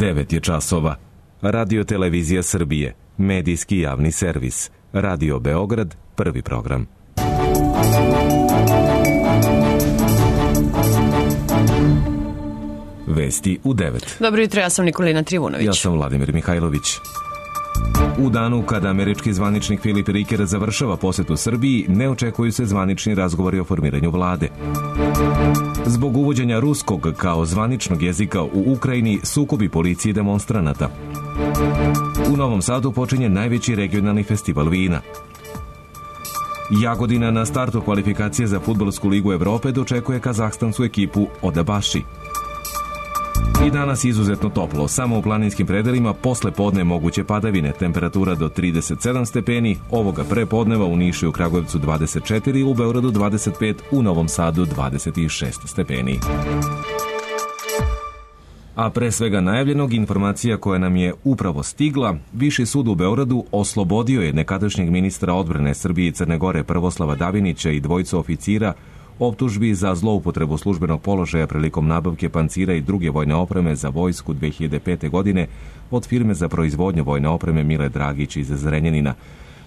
9 je časova. Radio Televizija Srbije, medijski javni servis. Radio Beograd, prvi program. Vesti u 9. Dobro jutro, ja sam Nikolina Trivunović. Ja sam Vladimir Mihajlović. U danu kada američki zvaničnik Filip Riker završava posetu Srbiji, ne očekuju se zvanični razgovori o formiranju vlade. Zbog uvođenja ruskog kao zvaničnog jezika u Ukrajini, sukobi policije i demonstranata. U Novom Sadu počinje najveći regionalni festival vina. Jagodina na startu kvalifikacije za Fudbalsku ligu Evrope dočekuje kazahstansku ekipu Odabaši. I danas izuzetno toplo, samo u planinskim predelima posle podne moguće padavine, temperatura do 37 stepeni, ovoga prepodneva u Nišu i u Kragujevcu 24, u Beogradu 25, u Novom Sadu 26 stepeni. A pre svega najavljenog, informacija koja nam je upravo stigla, Viši sud u Beogradu oslobodio je nekadašnjeg ministra odbrane Srbije i Crne Gore Prvoslava Davinića i dvojicu oficira optužbi za zloupotrebu službenog položaja prilikom nabavke pancira i druge vojne opreme za vojsku 2005. godine od firme za proizvodnju vojne opreme Mile Dragić iz Zrenjanina.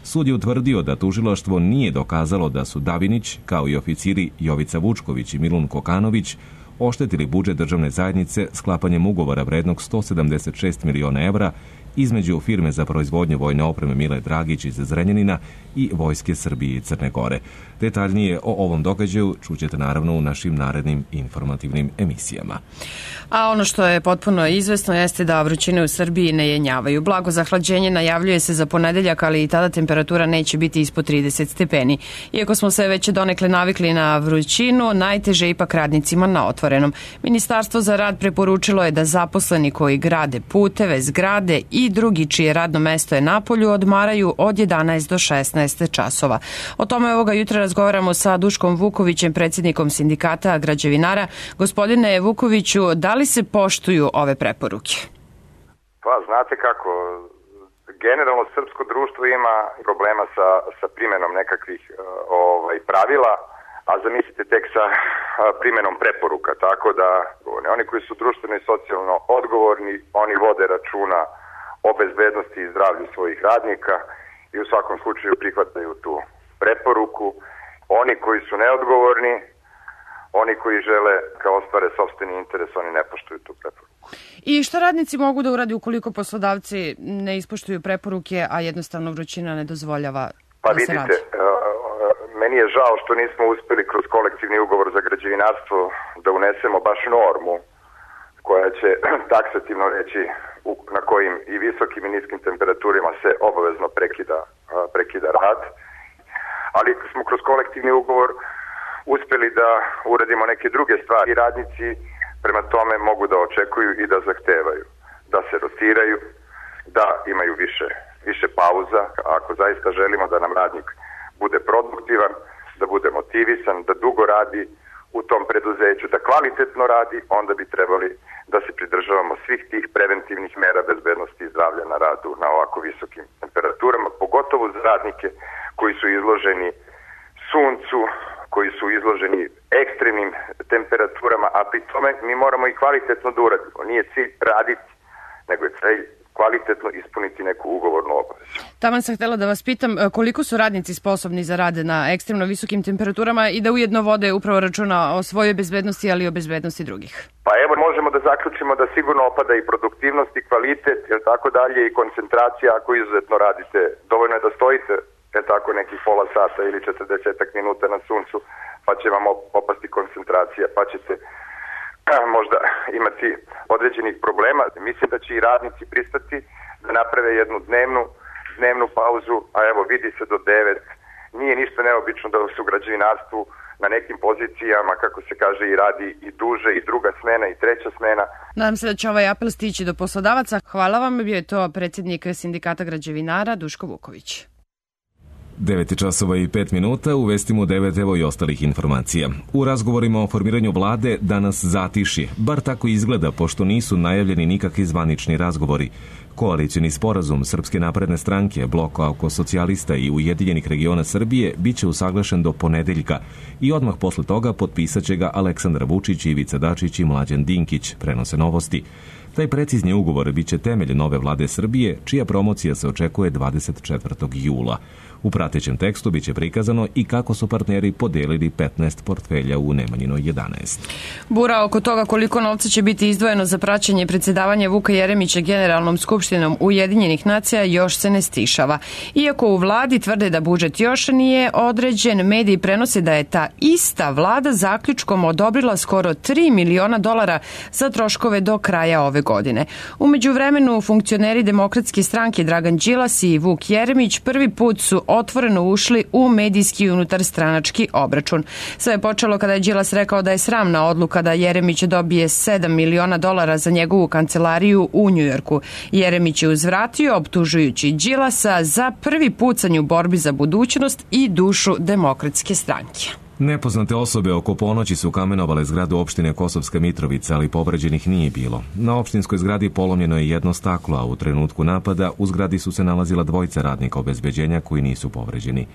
Sud je utvrdio da tužilaštvo nije dokazalo da su Davinić, kao i oficiri Jovica Vučković i Milun Kokanović, oštetili budžet državne zajednice sklapanjem ugovora vrednog 176 miliona evra između firme za proizvodnju vojne opreme Mile Dragić iz Zrenjanina i Vojske Srbije i Crne Gore. Detaljnije o ovom događaju čućete naravno u našim narednim informativnim emisijama. A ono što je potpuno izvesno jeste da vrućine u Srbiji ne jenjavaju. Blago zahlađenje najavljuje se za ponedeljak, ali i tada temperatura neće biti ispod 30 stepeni. Iako smo se već donekle navikli na vrućinu, najteže ipak radnicima na otvorenom. Ministarstvo za rad preporučilo je da zaposleni koji grade puteve, zgrade i drugi čije radno mesto je napolju odmaraju od 11 do 16 časova. O tome ovoga jutra razgovaramo sa Duškom Vukovićem, predsjednikom sindikata građevinara. Gospodine Vukoviću, da li se poštuju ove preporuke? Pa, znate kako, generalno srpsko društvo ima problema sa primjenom nekakvih pravila, a zamislite tek sa primjenom preporuka, tako da oni koji su društveno i socijalno odgovorni, oni vode računa o bezbednosti i zdravlju svojih radnika i u svakom slučaju prihvataju tu preporuku. Oni koji su neodgovorni, oni koji žele kao ostvare sopstveni interes, oni ne poštuju tu preporuku. I šta radnici mogu da uradi ukoliko poslodavci ne ispoštuju preporuke, a jednostavno vrućina ne dozvoljava da se radi? Meni je žao što nismo uspeli kroz kolektivni ugovor za građevinarstvo da unesemo baš normu koja će taksativno reći na kojim i visokim i niskim temperaturama se obavezno prekida rad. Ali smo kroz kolektivni ugovor uspeli da uradimo neke druge stvari. Radnici prema tome mogu da očekuju i da zahtevaju da se rotiraju, da imaju više pauza. Ako zaista želimo da nam radnik bude produktivan, da bude motivisan, da dugo radi u tom preduzeću, da kvalitetno radi, onda bi trebali da se pridržavamo svih tih preventivnih mera bezbednosti i zdravlja na radu na ovako visokim temperaturama, pogotovo za radnike koji su izloženi suncu, koji su izloženi ekstremnim temperaturama, a pri tome mi moramo i kvalitetno da uradimo. Nije cilj raditi, nego je cilj kvalitetno ispuniti neku ugovornu obavezu. Taman sam htjela da vas pitam koliko su radnici sposobni za rad na ekstremno visokim temperaturama i da ujedno vode upravo računa o svojoj bezbednosti, ali i o bezbednosti drugih. Pa evo, možemo da zaključimo da sigurno opada i produktivnost i kvalitet, jer tako dalje, i koncentracija ako izuzetno radite. Dovoljno je da stojite tako nekih pola sata ili 40 minuta na suncu, pa će vam opasti koncentracija, pa ćete možda imati određenih problema. Mislim da će i radnici pristati da naprave jednu dnevnu pauzu, a evo vidi se do 9. Nije ništa neobično da se u građevinarstvu na nekim pozicijama, kako se kaže, i radi i duže, i druga smena, i treća smena. Nadam se da će ovaj apel stići do poslodavaca. Hvala vam, bio je to predsjednik sindikata građevinara Duško Vuković. 9 časova i 5 minuta, u vestima u 9 evo i ostalih informacija. U razgovorima o formiranju vlade danas zatišje, bar tako izgleda, pošto nisu najavljeni nikakvi zvanični razgovori. Koalicioni sporazum Srpske napredne stranke, Bloka oko socijalista i Ujedinjenih regiona Srbije biće usaglašen do ponedeljka i odmah posle toga potpisat će ga Aleksandar Vučić, Ivica Dačić i Mlađan Dinkić, prenose Novosti. Taj precizni ugovor biće temelj nove vlade Srbije, čija promocija se očekuje 24. jula. U pratećem tekstu biće prikazano i kako su partneri podelili 15 portfelja u Nemanjinoj 11. Bura oko toga koliko novca će biti izdvojeno za praćenje predsjedavanja Vuka Jeremića Generalnom skupštinom Ujedinjenih nacija još se ne stišava. Iako u vladi tvrde da budžet još nije određen, mediji prenose da je ta ista vlada zaključkom odobrila skoro $3 miliona za troškove do kraja ove godine. U međuvremenu funkcioneri Demokratske stranke Dragan Đilas i Vuk Jeremić prvi put su otvoreno ušli u medijski unutarstranački obračun. Sve je počelo kada je Đilas rekao da je sramna odluka da Jeremić dobije $7 miliona za njegovu kancelariju u Njujorku. Jeremić je uzvratio optužujući Đilasa za prvi pucanj u borbi za budućnost i dušu Demokratske stranke. Nepoznate osobe oko ponoći su kamenovale zgradu opštine Kosovska Mitrovica, ali povređenih nije bilo. Na opštinskoj zgradi polomljeno je jedno staklo, a u trenutku napada u zgradi su se nalazila dvojica radnika obezbeđenja koji nisu povređeni.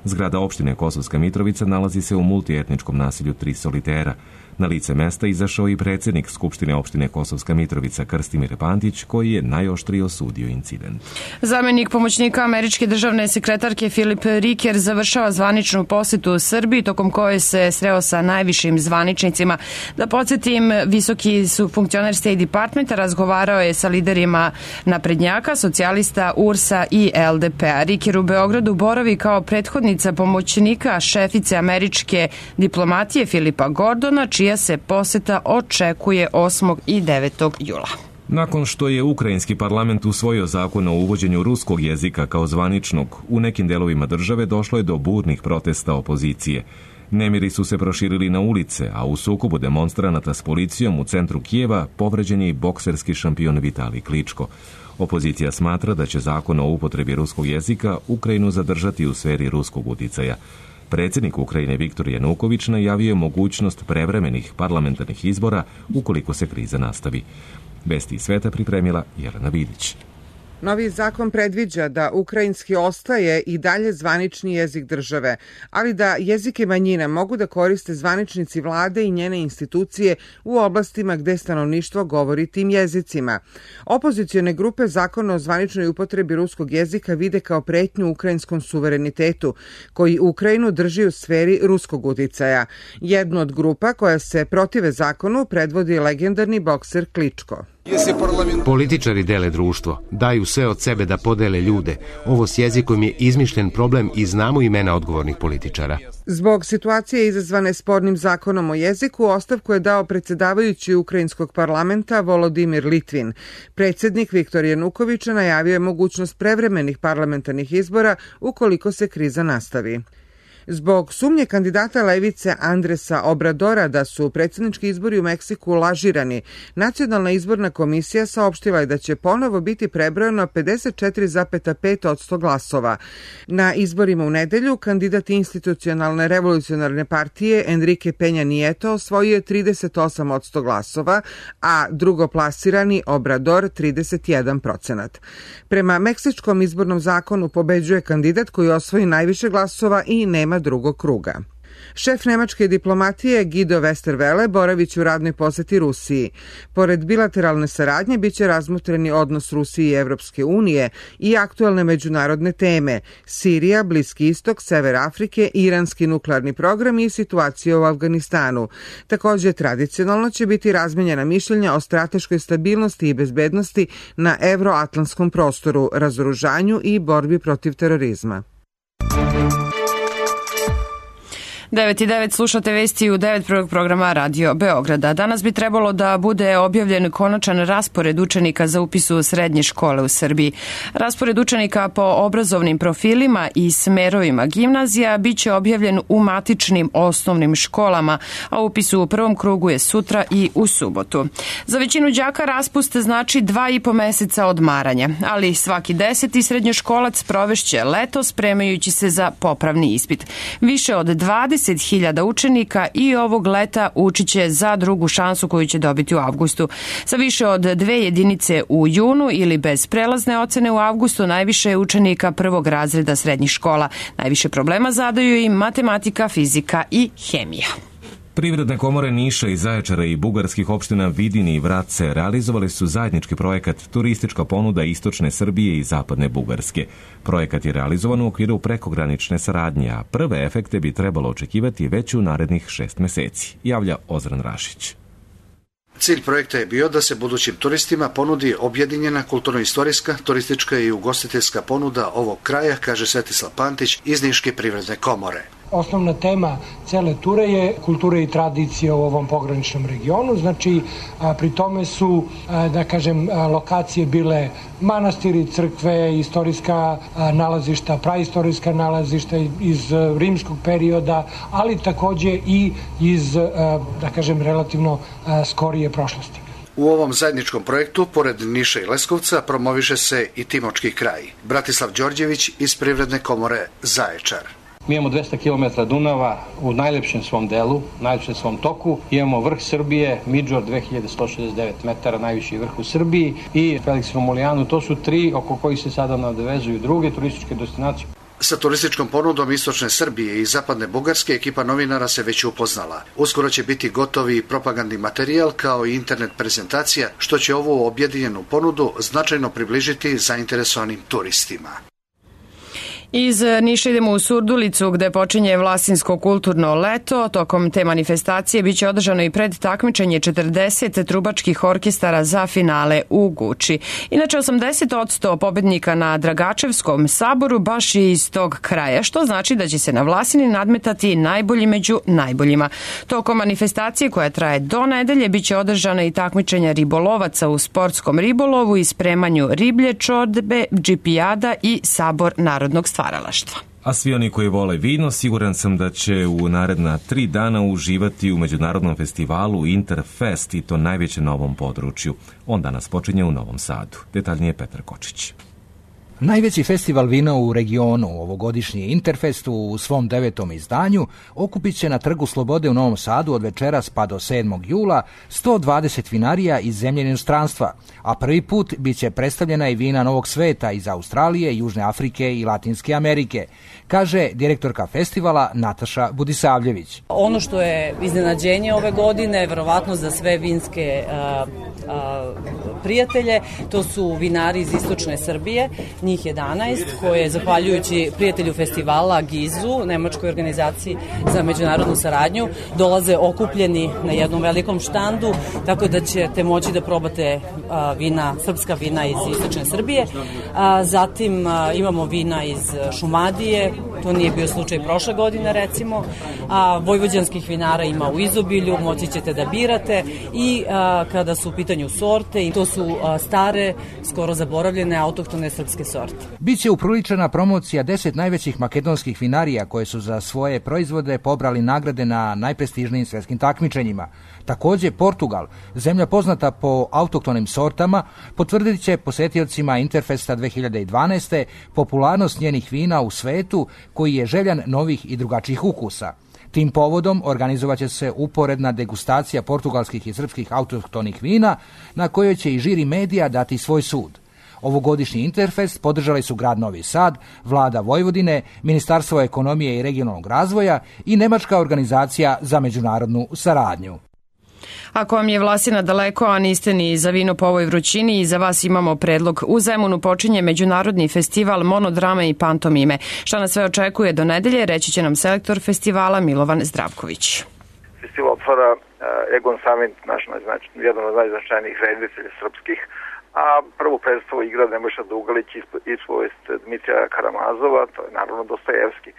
Zgrada opštine Kosovska Mitrovica nalazi se u multietničkom naselju Tri solitera. Na lice mesta izašao i predsjednik Skupštine opštine Kosovska Mitrovica Krstimir Pantić, koji je najoštrije osudio incident. Zamenik pomoćnika američke državne sekretarke Filip Riker završava zvaničnu posetu u Srbiji, tokom koje se sreo sa najvišim zvaničnicima. Da podsjetim, visoki su funkcioner State Departmenta razgovarao je sa liderima naprednjaka, socijalista, URS-a i LDP-a. Riker u Beogradu boravi kao prethodnica pomoćnika šefice američke diplomatije Filipa Gordona, čija se poseta očekuje 8. i 9. jula. Nakon što je ukrajinski parlament usvojio zakon o uvođenju ruskog jezika kao zvaničnog, u nekim delovima države došlo je do burnih protesta opozicije. Nemiri su se proširili na ulice, a u sukobu demonstranata s policijom u centru Kijeva povređen je i bokserski šampion Vitalij Kličko. Opozicija smatra da će zakon o upotrebi ruskog jezika Ukrajinu zadržati u sferi ruskog uticaja. Predsjednik Ukrajine Viktor Januković najavio je mogućnost prevremenih parlamentarnih izbora ukoliko se kriza nastavi. Vesti iz sveta pripremila Jelena Vidić. Novi zakon predviđa da ukrajinski ostaje i dalje zvanični jezik države, ali da jezike manjina mogu da koriste zvaničnici vlade i njene institucije u oblastima gde stanovništvo govori tim jezicima. Opozicione grupe zakona o zvaničnoj upotrebi ruskog jezika vide kao pretnju ukrajinskom suverenitetu, koji Ukrajinu drži u sferi ruskog uticaja. Jednu od grupa koja se protive zakonu predvodi legendarni bokser Kličko. Političari dele društvo, daju sve od sebe da podele ljude. Ovo s jezikom je izmišljen problem i znamo imena odgovornih političara. Zbog situacije izazvane spornim zakonom o jeziku, ostavku je dao predsjedavajući ukrajinskog parlamenta Volodimir Litvin. Predsjednik Viktor Januković najavio je mogućnost prevremenih parlamentarnih izbora ukoliko se kriza nastavi. Zbog sumnje kandidata levice Andresa Obradora da su predsjednički izbori u Meksiku lažirani, Nacionalna izborna komisija saopštila je da će ponovo biti prebrojeno 54,5% glasova. Na izborima u nedelju kandidat institucionalne revolucionarne partije Enrique Peña Nieto osvojio je 38% glasova, a drugoplasirani Obrador 31%. Prema meksičkom izbornom zakonu pobeđuje kandidat koji osvoji najviše glasova i nema drugog kruga. Šef nemačke diplomatije Guido Westerwelle boravić u radnoj poseti Rusiji. Pored bilateralne saradnje biće razmotreni odnos Rusije i Evropske unije i aktuelne međunarodne teme: Sirija, Bliski istok, Sever Afrike, iranski nuklearni program i situacija u Afganistanu. Također tradicionalno će biti razmenjena mišljenja o strateškoj stabilnosti i bezbednosti na evroatlantskom prostoru, razoružanju i borbi protiv terorizma. 9:09 slušate vesti u 9. programa Radio Beograda. Danas bi trebalo da bude objavljen konačan raspored učenika za upis u srednje škole u Srbiji. Raspored učenika po obrazovnim profilima i smerovima gimnazija biće objavljen u matičnim osnovnim školama, a upis u prvom krugu je sutra i u subotu. Za većinu đaka raspust znači 2,5 meseca odmaranja, ali svaki 10. srednjoškolac provešće leto spremajući se za popravni ispit. Više od 20 30.000 učenika i ovog leta učit će za drugu šansu koju će dobiti u avgustu. Sa više od 2 jedinice u junu ili bez prelazne ocene u avgustu najviše je učenika prvog razreda srednjih škola. Najviše problema zadaju im matematika, fizika i hemija. Privredne komore Niša i Zaječara i bugarskih opština Vidin i Vratce realizovali su zajednički projekat Turistička ponuda istočne Srbije i zapadne Bugarske. Projekat je realizovan u okviru prekogranične saradnje, a prve efekte bi trebalo očekivati već u narednih 6 meseci, javlja Ozran Rašić. Cilj projekta je bio da se budućim turistima ponudi objedinjena kulturno-istorijska, turistička i ugostiteljska ponuda ovog kraja, kaže Svetislav Pantić iz Niške privredne komore. Osnovna tema cele ture je kultura i tradicija u ovom pograničnom regionu, znači pri tome su, da kažem, lokacije bile manastiri, crkve, istorijska nalazišta, praistorijska nalazišta iz rimskog perioda, ali takođe i iz, da kažem, relativno skorije prošlosti. U ovom zajedničkom projektu, pored Niša i Leskovca, promoviše se i Timočki kraj. Bratislav Đorđević iz Privredne komore Zaječar. Mi imamo 200 km Dunava u najlepšem svom delu, najlepšem svom toku. Imamo vrh Srbije, Midžor 2169 metara, najviši vrh u Srbiji i Felix Romulijanu. To su 3 oko kojih se sada nadovezuju druge turističke destinacije. Sa turističkom ponudom istočne Srbije i zapadne Bugarske ekipa novinara se već upoznala. Uskoro će biti gotovi propagandni materijal kao i internet prezentacija, što će ovu objedinjenu ponudu značajno približiti zainteresovanim turistima. Iz Niša idemo u Surdulicu gde počinje Vlasinsko kulturno leto. Tokom te manifestacije biće održano i predtakmičenje 40 trubačkih orkestara za finale u Guči. Inače, 80% pobednika na Dragačevskom saboru baš je iz tog kraja, što znači da će se na Vlasini nadmetati najbolji među najboljima. Tokom manifestacije koja traje do nedelje biće održana i takmičenja ribolovaca u sportskom ribolovu i spremanju riblje čorbe, džipijada i sabor narodnog stvaralaštva. A svi oni koji vole vino, siguran sam da će u naredna 3 dana uživati u međunarodnom festivalu Interfest, i to najveće na ovom području. On danas počinje u Novom Sadu. Detaljnije Petar Kočić. Najveći festival vina u regionu, ovogodišnji Interfest u svom 9. izdanju, okupit će na Trgu Slobode u Novom Sadu od večeras pa do 7. jula 120 vinarija iz zemlje i inostranstva, a prvi put bit će predstavljena i vina Novog sveta iz Australije, Južne Afrike i Latinske Amerike, kaže direktorka festivala Nataša Budisavljević. Ono što je iznenađenje ove godine, verovatno za sve vinske prijatelje, to su vinari iz istočne Srbije, njih 11, koje, zahvaljujući prijatelju festivala Gizu, nemačkoj organizaciji za međunarodnu saradnju, dolaze okupljeni na jednom velikom štandu, tako da ćete moći da probate vina, srpska vina iz istočne Srbije. Zatim imamo vina iz Šumadije, to nije bio slučaj prošle godine recimo, a vojvođanskih vinara ima u izobilju, moći ćete da birate i kada su u pitanju sorte, i to su stare, skoro zaboravljene autohtone srpske sorte. Biće upriličena promocija 10 najvećih makedonskih vinarija koje su za svoje proizvode pobrali nagrade na najprestižnijim svetskim takmičenjima. Takođe, Portugal, zemlja poznata po autohtonim sortama, potvrdit će posetiocima Interfesta 2012. popularnost njenih vina u svetu, koji je željan novih i drugačijih ukusa. Tim povodom organizovaće se uporedna degustacija portugalskih i srpskih autohtonih vina, na kojoj će i žiri medija dati svoj sud. Ovogodišnji Interfest podržali su grad Novi Sad, vlada Vojvodine, Ministarstvo ekonomije i regionalnog razvoja i Nemačka organizacija za međunarodnu saradnju. Ako vam je Vlasina daleko, a niste ni za vino po ovoj vrućini, i za vas imamo predlog. U Zemunu počinje međunarodni festival monodrame i pantomime. Šta nas sve očekuje do nedelje, reći će nam selektor festivala Milovan Zdravković. Festival otvara Egon Samit, jedan od najznačajnijih reditelja srpskih, a prvu predstavu igra Nebojša Dugalić iz povest Dmitrija Karamazova, to je naravno Dostojevski.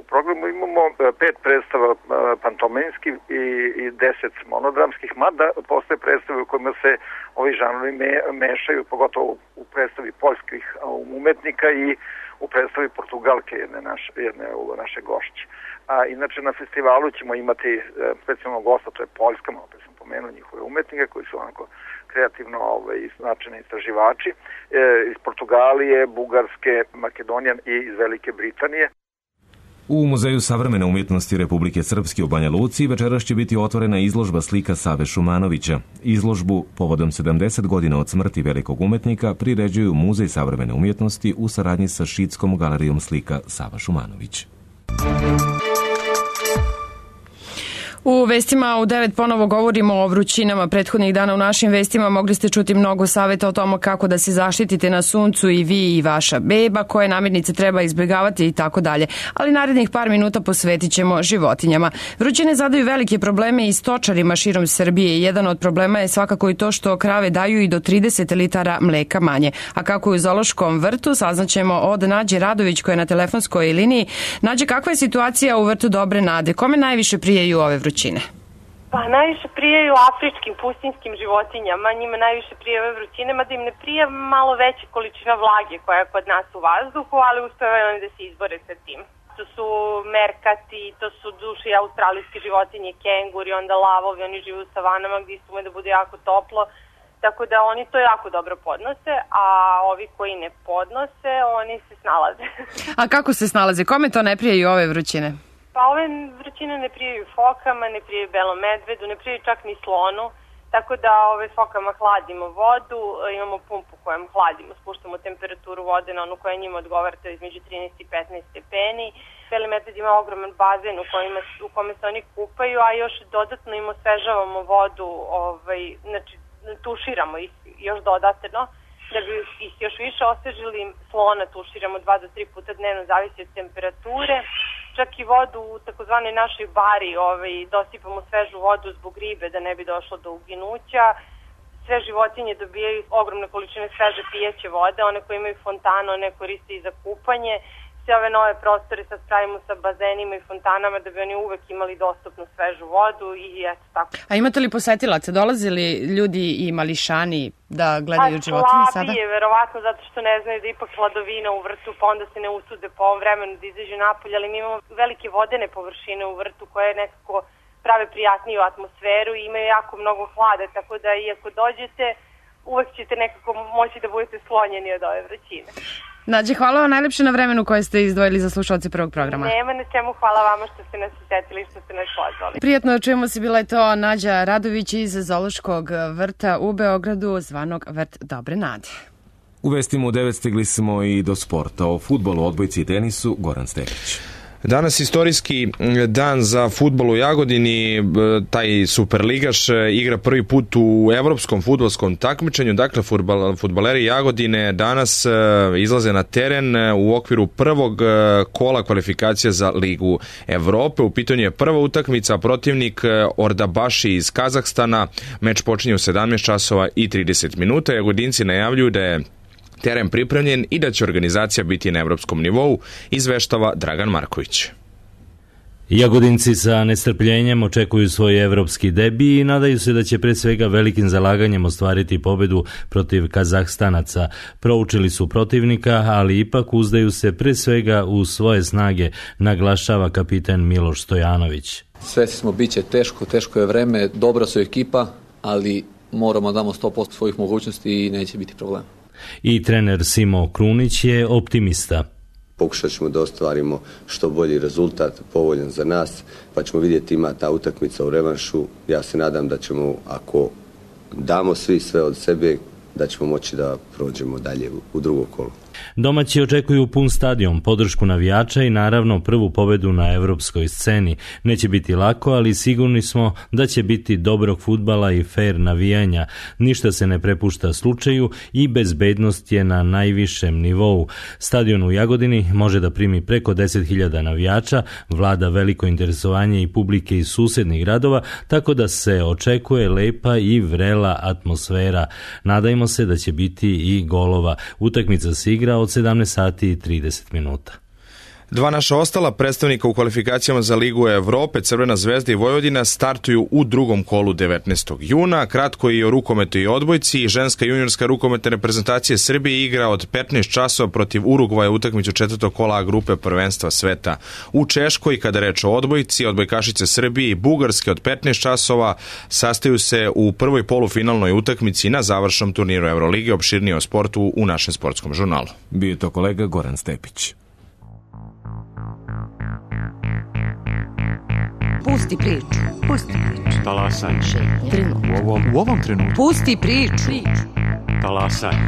U programu imamo 5 predstava pantominskih i 10 monodramskih, mada postoje predstave u kojima se ovi žanrovi mešaju, pogotovo u predstavi poljskih umetnika i u predstavi Portugalke jedne naše gošće. A inače na festivalu ćemo imati specijalnog gosta, to je Poljska, malo pre sam pomenuo njihove umetnike koji su onako kreativno značajni istraživači iz Portugalije, Bugarske, Makedonije i iz Velike Britanije. U Muzeju savremene umjetnosti Republike Srpske u Banja Luci večeras će biti otvorena izložba slika Save Šumanovića. Izložbu povodom 70 godina od smrti velikog umetnika priređuju Muzej savremene umjetnosti u saradnji sa Šidskom galerijom slika Sava Šumanović. U vestima u 9 ponovo govorimo o vrućinama. Prethodnih dana u našim vestima mogli ste čuti mnogo savjeta o tome kako da se zaštitite na suncu i vi i vaša beba, koje namirnice treba izbjegavati i tako dalje. Ali narednih par minuta posvetit ćemo životinjama. Vrućine zadaju velike probleme i stočarima širom Srbije. Jedan od problema je svakako i to što krave daju i do 30 litara mleka manje. A kako je u zoološkom vrtu, saznaćemo od Nađe Radović koja je na telefonskoj liniji. Nađe, kakva je situacija u vrtu Dobre Nade? Kome najviše prijeju ove vrućine? Pa najviše prijaju afričkim pustinjskim životinjama, njima najviše prije ove vrućine, mada im ne prije malo veća količina vlage koja je kod nas u vazduhu, ali uspevaju oni da se izbore sa tim. To su merkati, to su duši australijske životinje, kenguri, onda lavovi, oni žive u savanama gdje isto da bude jako toplo, tako da oni to jako dobro podnose, a ovi koji ne podnose, oni se snalaze. A kako se snalaze? Kome to ne prijaju ove vrućine? Pa ove vrućine ne prijaju fokama, ne prijaju belom medvedu, ne prijaju čak ni slonu, tako da fokama hladimo vodu, imamo pumpu kojom hladimo, spuštamo temperaturu vode na onu koja njima odgovara, to je između 13 i 15 stepeni. Beli medved ima ogroman bazen u kome se oni kupaju, a još dodatno im osvežavamo vodu, znači tuširamo još dodatno, da bi ih još više osvežili. Slona tuširamo 2 do 3 puta dnevno, zavisi od temperature. Čak i vodu u takozvanoj našoj bari dosipamo svežu vodu zbog ribe da ne bi došlo do uginuća. Sve životinje dobijaju ogromne količine sveže pijeće vode, one koje imaju fontanu, one koriste i za kupanje. Sve ove nove prostore sad pravimo sa bazenima i fontanama da bi oni uvek imali dostupnu svežu vodu i eto tako. A imate li posetilaca? Dolazili ljudi i mališani da gledaju životinje sada? Slabije, verovatno, zato što ne znaju da ipak hladovina u vrtu, pa onda se ne usude po ovom vremenu da izađu napolje, ali mi imamo velike vodene površine u vrtu koje nekako prave prijatniju atmosferu i imaju jako mnogo hlada, tako da iako dođete, uvek ćete nekako moći da budete sklonjeni od ove vrućine. Nađe, hvala vam najlepše na vremenu koje ste izdvojili za slušalce prvog programa. Nema na čemu, hvala vama što ste nas setili i što ste nas pozvali. Prijatno čujemo se, bila je to Nađa Radović iz zoološkog vrta u Beogradu, zvanog Vrt Dobre Nade. U vestima u 9 stigli smo i do sporta. O fudbalu, odbojci i tenisu, Goran Stepić. Danas istorijski dan za fudbal u Jagodini, taj superligaš igra prvi put u evropskom fudbalskom takmičenju, dakle fudbaleri Jagodine danas izlaze na teren u okviru prvog kola kvalifikacija za Ligu Evrope. U pitanju je prva utakmica, protivnik Ordabaši iz Kazahstana, meč počinje u 17 časova i 30 minuta. Jagodinci najavljuju da je teren pripremljen i da će organizacija biti na evropskom nivou, izveštava Dragan Marković. Jagodinci sa nestrpljenjem očekuju svoj evropski debi i nadaju se da će pre svega velikim zalaganjem ostvariti pobedu protiv Kazahstanaca. Proučili su protivnika, ali ipak uzdaju se pre svega u svoje snage, naglašava kapitan Miloš Stojanović. Svesni smo, bit će teško je vreme, dobra su ekipa, ali moramo damo 100% svojih mogućnosti i neće biti problema. I trener Simo Krunić je optimista. Pokušat ćemo da ostvarimo što bolji rezultat, povoljan za nas, pa ćemo vidjeti, ima ta utakmica u revanšu. Ja se nadam da ćemo, ako damo svi sve od sebe, da ćemo moći da prođemo dalje u drugo kolo. Domaći očekuju pun stadion, podršku navijača i naravno prvu pobedu na evropskoj sceni. Neće biti lako, ali sigurni smo da će biti dobrog fudbala i fair navijanja. Ništa se ne prepušta slučaju i bezbednost je na najvišem nivou. Stadion u Jagodini može da primi preko 10.000 navijača, vlada veliko interesovanje i publike iz susednih gradova, tako da se očekuje lepa i vrela atmosfera. Nadajmo se da će biti i golova. Utakmica se igra od 17 sati i 30 minuta. Dva naša ostala predstavnika u kvalifikacijama za Ligu Evrope, Crvena zvezda i Vojvodina, startuju u drugom kolu 19. juna. Kratko i o rukometu i odbojci. Ženska juniorska rukometna reprezentacija Srbije igra od 15 časova protiv Urugvaja utakmicu četvrtog kola grupe prvenstva sveta u Češkoj. Kada reč o odbojci, odbojkašice Srbije i Bugarske od 15 časova sastaju se u prvoj polufinalnoj utakmici na završnom turniru Evrolige. Opširnije o sportu u našem sportskom žurnalu. Bio je to kolega Goran Stepić. Pusti priču. Pusti priču. Talasanje. U ovom trenutku. Pusti priču. Talasanje.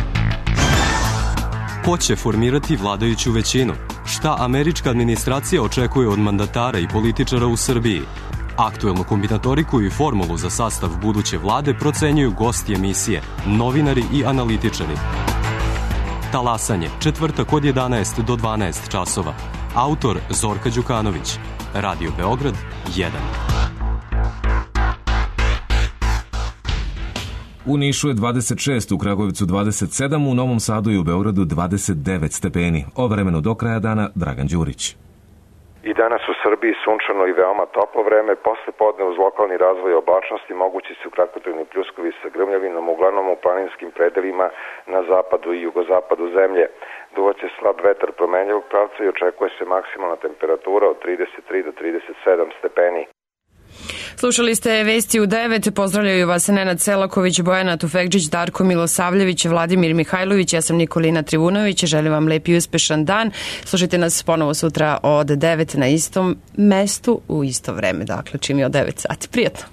Ko će formirati vladajuću većinu? Šta američka administracija očekuje od mandatara i političara u Srbiji? Aktuelnu kombinatoriku i formulu za sastav buduće vlade procenjuju gosti emisije, novinari i analitičari. Talasanje, četvrtak od 11 do 12 časova. Autor Zorka Đukanović. Radio Beograd 1. U Nišu je 26, u Kragujevcu 27, u Novom Sadu i u Beogradu 29 stepeni. O vremenu do kraja dana Dragan Đurić. I danas u Srbiji sunčano i veoma toplo vreme, posle podne uz lokalni razvoj oblačnosti mogući su kratkotrajni pljuskovi sa grmljavinom, uglavnom u planinskim predelima na zapadu i jugozapadu zemlje. Duvaće slab vetar promenljivog pravca i očekuje se maksimalna temperatura od 33 do 37 stepeni. Slušali ste Vesti u 9, pozdravljaju vas Nenad Selaković, Bojana Tufekđić, Darko Milosavljević, Vladimir Mihajlović, ja sam Nikolina Trivunović, želim vam lep i uspešan dan. Slušajte nas ponovo sutra od 9 na istom mestu u isto vreme, dakle čim je od 9 sati. Prijatno!